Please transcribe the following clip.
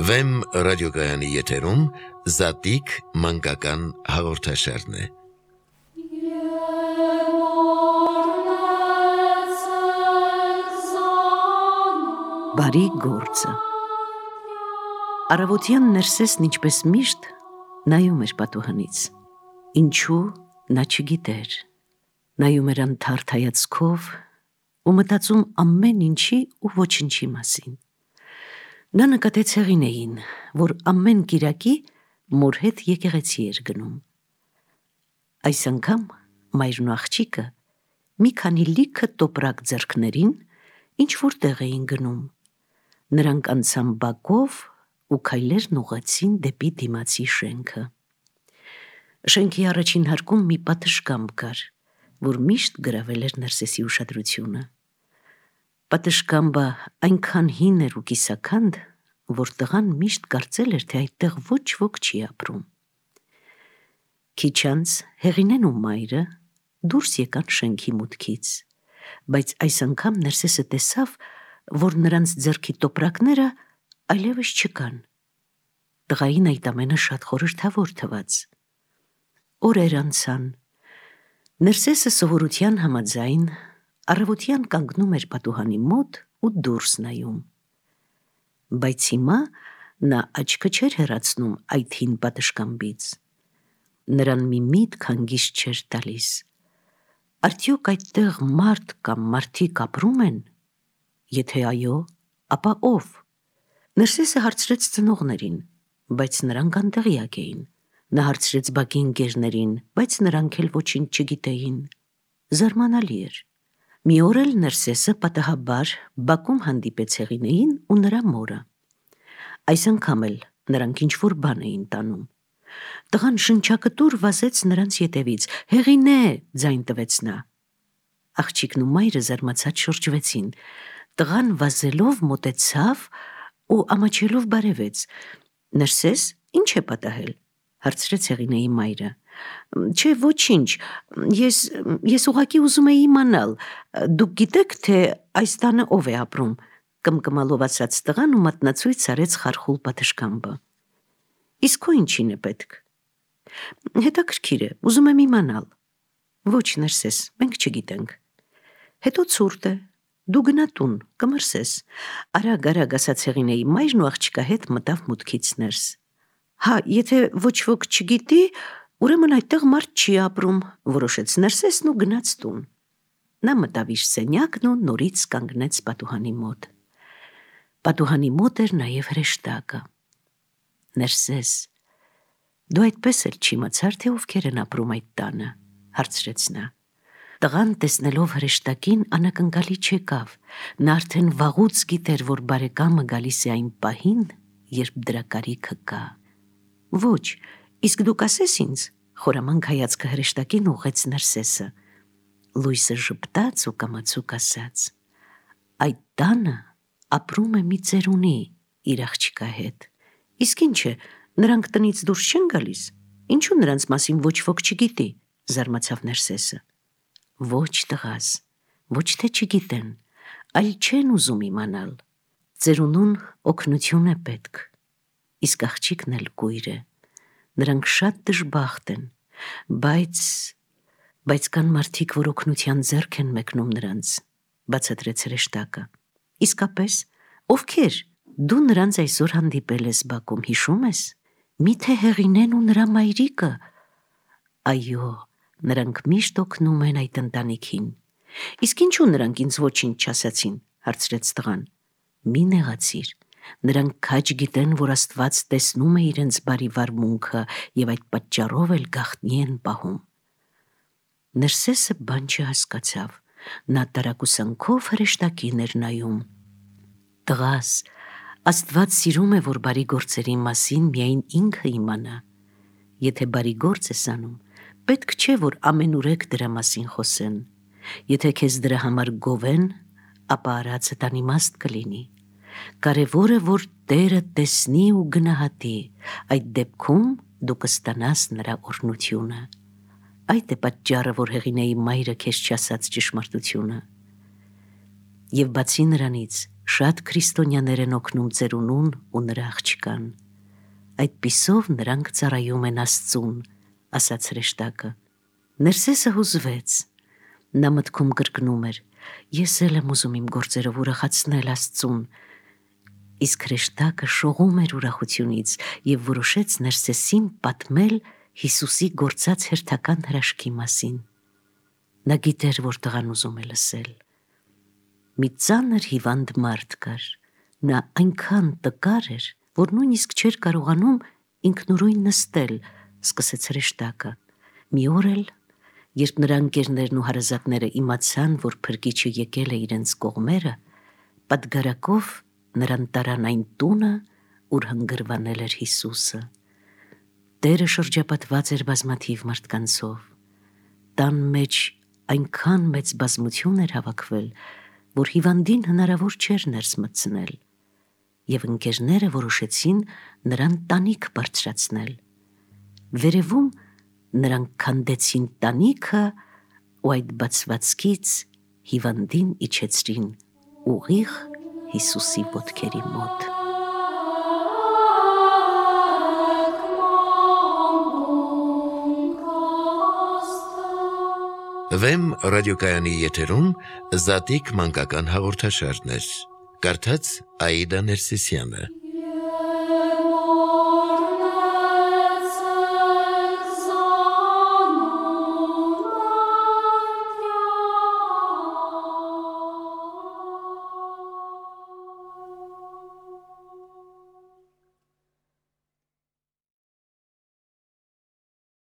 Վեմ ռադիոգայանի եթերում Զատիկ մանկական հաղորդաշարն է։ Բարի գործը։ Առավոտյան Ներսեսն ինչպես միշտ նայում էր պատուհանից։ Ինչու նա չգիտեր։ Նայում էր անթարթ հայացքով ու մտածում ամեն ինչի ու ոչնչի մասին։ Նա նկատեց Հեղինեին, որ ամեն կիրակի մոր հետ եկեղեցի էր գնում։ Այս անգամ մայրն ու աղջիկը մի քանի լիքը տոպրակ ձեռքներին ինչ որտեղ էին գնում։ Նրանք անցան բակով ու քայլերն ուղղեցին դեպի դիմացի շենքը։ Շենքի առաջին հարկում մի պատշգամբ կար, որ միշտ գրավել էր Ներսեսի ուշադրությունը։ Պատշգամբը այնքան հին էր ու կիսաքանդ, որ տղան միշտ կարծել էր, թե այդտեղ ոչ ոք չի ապրում։ Քիչ անց Հեղինեն ու մայրը դուրս եկան շենքի մուտքից, բայց այս անգամ Ներսեսը տեսավ, որ նրանց ձեռքի տոպրակները այլևս չկան։ Տղային այդ ամենը շատ խորհրդավոր թվաց։ Օրեր անցան։ Ներսեսը սովորության համաձայն առավոտյան կանգնում էր պատուհանի մոտ ու դուրս նայում։ Բայց հիմա նա աչքը չէր հեռացնում այդ հին պատշգամբից։ Նրան մի միտք հանգիստ չէր տալիս։ Արդյոք այդտեղ մարդ կամ մարդիկ ապրում են։ Եթե այո, ապա ով։ Ներսեսը հարցրեց ծնողներին, բայց նրանք անտեղյակ էին։ Նա հարցրեց բակի ընկերներին, բայց նրանք էլ ոչինչ չգիտեին։ Զարմանալի էր։ Մի օր էլ Ներսեսը պատահաբար բակում հանդիպեց Հեղինեին ու նրա մորը։ Այս անգամ էլ նրանք ինչ-որ բան էին տանում։ Տղան շնչակտուր վազեց նրանց ետևից։ «Հեղինե», ձայն տվեց նա։ Աղջիկն ու մայրը զարմացած շրջվեցին։ Տղան վազելով մոտեցավ ու ամաչելով բարևեց։ «Ներսես, ինչ է պատահել», հարցրեց Հեղինեի մայրը։ «Չէ, ոչինչ, ես ուղղակի ուզում էի իմանալ, դուք գիտեք, թե այս տանը ով է ապրում», կմկմալով ասաց տղան ու մատնացույց արեց խարխուլ պատշգամբը։ «Իսկ քո ինչին է պետք»։ «Հետաքրքիր է, ուզում եմ իմանալ»։ «Ոչ, Ներսես, մենք չգիտենք»։ «Հետո ցուրտ է, դու գնա տուն, կմրսես», արագ ասաց Հեղինեի մայրն ու աղջկա հետ մտավ մուտքից ներս։ «Հա, եթե ոչ ոք չգիտի, ուրեմն այդտեղ մարդ չի ապրում», որոշեց Ներսեսն ու գնաց տուն։ Նա մտավ իր սենյակն ու նորից կանգնեց պատուհանի մոտ։ Պատուհանի մոտ էր նաև հրեշտակը։ «Ներսես, դու այդպես էլ չիմացար, թե ովքեր են ապրում այդ տանը», հարցրեց նա։ Տղան տեսնելով հրեշտակին անակնկալի չեկավ։ Նա արդեն վաղուց գիտեր, որ բարեկամը գալիս է այն պահին, երբ դրա կարիքը կա։ «Ոչ, իսկ դու կասես ինձ», խորամանկ հայացքը հրեշտակին ուղղեց Ներսեսը։ Լույսը ժպտաց ու կամացուկ ասաց. «Այդ տանը ապրում է մի ծերունի իր աղջկա հետ»։ «Իսկ ինչ է, նրանք տնից դուրս չեն գալիս։ Ինչու նրանց մասին ոչ ոք չգիտի», զարմացավ Ներսեսը։ «Ոչ, տղաս, ոչ թե չգիտեն, այլ չեն ուզում իմանալ։ Ծերունուն օգնություն է պետք, իսկ աղջիկն էլ կույր է։ Նրանք շատ դժբախտ են, բայց կան մարդիկ, որ օգնության ձեռք են մեկնում նրանց», բացատրեց հրեշտակը։ «Իսկապես, ովքեր։ Դու նրանց այսօր հանդիպել ես բակում, հիշում ես։ Միթե Հեղինեն ու նրա մայրիկը»։ «Այո, նրանք միշտ օգնում են այդ ընտանիքին»։ «Իսկ ինչու նրանք ինձ ոչինչ չասացին», հարցրեց տղան։ «Մի նեղացիր, նրանք քաջ գիտեն, որ Աստված տեսնում է իրենց բարի վարմունքը և այդ պատճառով էլ գաղտնի են պահում»։ Ներսեսը բան չհասկացավ։ Նա տարակուսանքով հրեշտակին էր նայում։ «Տղաս, Աստված սիրում է, որ բարի գործերի մասին միայն ինքը իմանա։ Եթե բարի գործ ես անում, պետք չէ, որ ամենուրեք դրա մասին խոսեն։ Եթե քեզ դրա համար գովեն, ապա արածդ անիմաստ կլինի։ Կարևորը, որ Տերը տեսնի ու գնահատի, այդ դեպքում դու կստանաս նրա օրհնությունը։ Այդ է պատճառը, որ Հեղինեի մայրը քեզ չասաց ճշմարտությունը։ Եվ բացի նրանից, Շատ քրիստոնյաներ են օգնում ծերունուն ու նրա աղջկան։ Այդպիսով նրանք ծառայում են Աստծուն, ասաց հրեշտակը։ Ներսեսը հուզվեց։ Նա մտքում կրկնում էր. ես էլ եմ ուզում իմ գործերով ուրախացնել Աստծուն։ Իսկ հրեշտակը շողում էր ուրախությունից և որոշեց Ներսեսին պատմել Հիսուսի գործած հերթական հրաշքի մասին։ Նա գիտեր, որ տղան ուզում է լսել։ Մի ծանր հիվանդ մարդ կար։ Նա այնքան տկար էր, որ նույնիսկ չէր կարողանում ինքնուրույն նստել, սկսեց հրեշտակը։ Մի օր էլ, երբ նրա ընկերներն ու հարազատները իմացան, որ փրկիչը եկել է իրենց կողմերը, պատգարակով նրան տարան այն տունը, ուր հանգրվանել էր Հիսուսը։ Տերը շրջապատված էր բազմաթիվ մարդկանցով։ Տան մեջ այնքան մեծ բազմություն էր հավաքվել, որ հիվանդին հնարավոր չէր ներս մտցնել, և ընկերները որոշեցին նրան տանիք բարձրացնել։ Վերևում նրանք քանդեցին տանիքը ու այդ բացվածքից հիվանդին իջեցրին ուղիղ Հիսուսի ոտքերի մոտ։ Վեմ ռադիոկայանի եթերում Զատիկ մանկական հաղորդաշարներ։ Կարդաց Աիդա Ներսիսյանը։